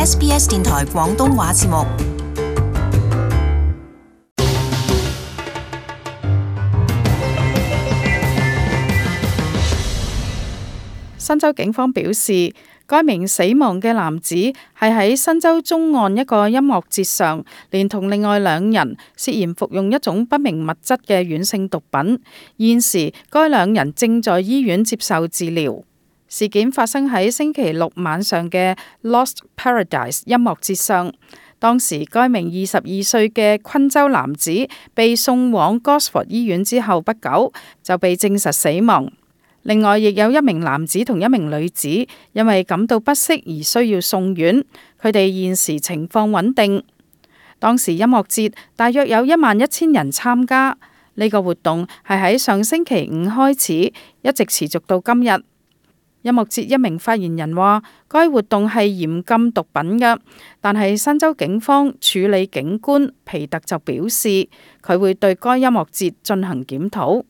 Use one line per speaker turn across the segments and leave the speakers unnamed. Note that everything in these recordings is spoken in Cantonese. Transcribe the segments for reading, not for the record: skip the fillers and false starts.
SBS 電台廣東話節目。
新州警方表示，該名死亡嘅男子係喺新州中岸一個音樂節上，連同另外2人涉嫌服用一種不明物質嘅軟性毒品。現時該2人正在醫院接受治療。事件發生喺星期六晚上嘅 Lost Paradise 音樂節上。當時該名22歲嘅昆州男子被送往 Gosford 醫院之後不久就被證實死亡。另外，亦有1名男子同1名女子因為感到不適而需要送院，佢哋現時情況穩定。當時音樂節大約有11000人參加，呢個活動係喺上星期5開始，一直持續到今日。音樂節一名發言人話，該活動係嚴禁毒品嘅，但係新州警方處理警官皮特就表示，佢會對該音樂節進行檢討。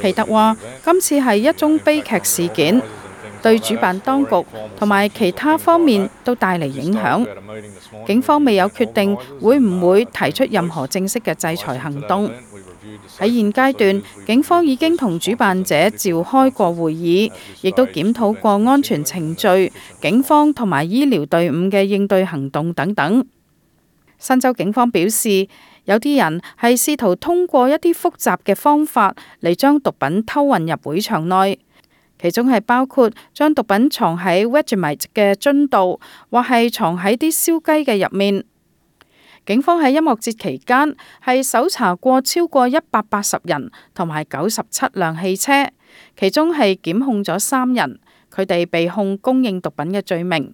皮特話：今次係一宗悲劇事件，對主辦當局同埋其他方面都帶嚟影響。警方未有決定會唔會提出任何正式嘅制裁行動。喺現階段，警方已經同主辦者召開過會議，亦都檢討過安全程序、警方同埋醫療隊伍嘅應對行動等等。新州警方表示，有啲人係試圖通過一啲複雜嘅方法嚟將毒品偷運入會場內，其中係包括將毒品藏喺 Vegemite 嘅樽度，或係藏喺啲燒雞嘅入面。警方喺音樂節期間係搜查過超過180人同埋97輛汽車，其中係檢控咗3人，佢哋被控供應毒品嘅罪名。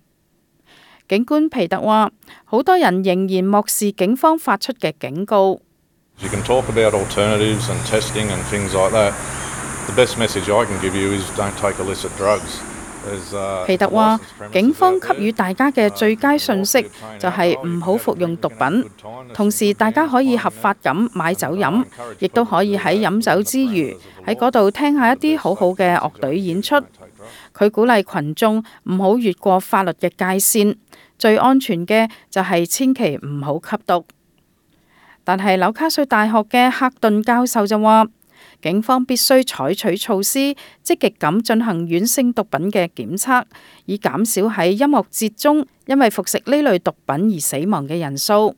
警官皮特話：好多人仍然漠視警方發出嘅警告。皮特話：警方給予大家嘅最佳訊息就係唔好服用毒品，同時大家可以合法咁買酒飲，亦都可以喺飲酒之餘喺嗰度聽下一啲好好嘅樂隊演出。佢鼓勵群眾唔好越過法律嘅界線，最安全嘅就係千祈唔好吸毒。但係紐卡素大學嘅克頓教授就話，警方必須採取措施，積極咁進行軟性毒品嘅檢測，以減少喺音樂節中因為服食呢類毒品而死亡嘅人數。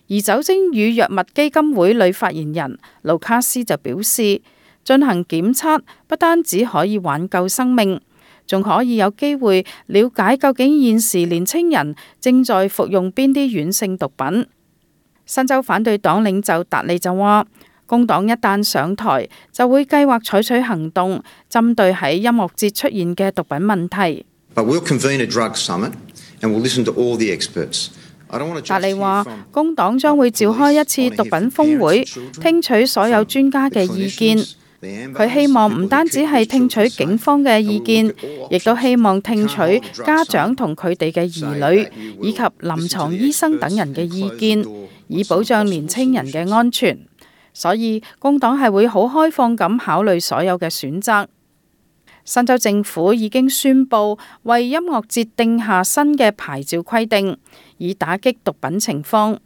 而酒精與藥物基金會女發言人盧卡斯就表示，進行檢測不單止可以挽救生命，仲可以有機會了解究竟現時年青人正在服用邊啲軟性毒品。新州反對黨領袖達利就話，工黨一旦上台，就會計劃採取行動，針對喺音樂節出現嘅毒品問題。達利話，工黨將會召開一次毒品峰會，聽取所有專家嘅意見。佢希望唔單止係聽取警方嘅意見，亦都希望聽取家長同佢哋嘅兒女，以及臨床醫生等人嘅意見，以保障年青人嘅安全。所以工黨係會好開放咁考慮所有嘅選擇。新州政府已經宣布為音樂節定下新嘅牌照規定，以打擊毒品情況。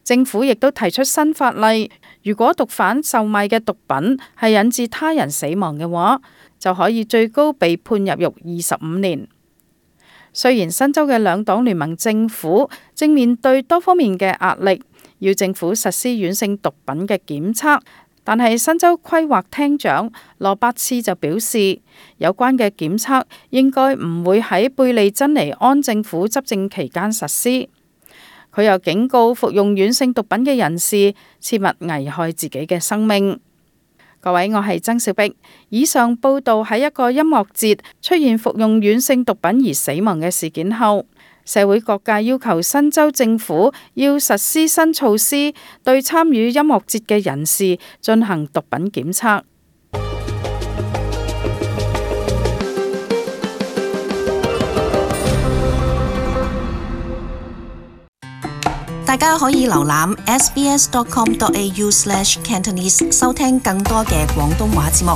政府亦都提出新法例，如果毒販售賣嘅毒品係引致他人死亡嘅話，就可以最高被判入獄25年。雖然新州嘅兩黨聯盟政府正面對多方面嘅壓力，要政府實施軟性毒品嘅檢測，但係新州規劃廳長羅伯茨就表示，有關嘅檢測應該唔會喺貝利珍尼安政府執政期間實施。佢又警告服用軟性毒品嘅人士切勿危害自己嘅生命。各位，我係曾小碧。以上報道喺一個音樂節出現服用軟性毒品而死亡嘅事件後，社會各界要求新州政府要實施新措施，對參與音樂節嘅人士進行毒品檢測。
大家可以瀏覽 sbs.com.au/cantonese 收聽更多嘅廣東話節目。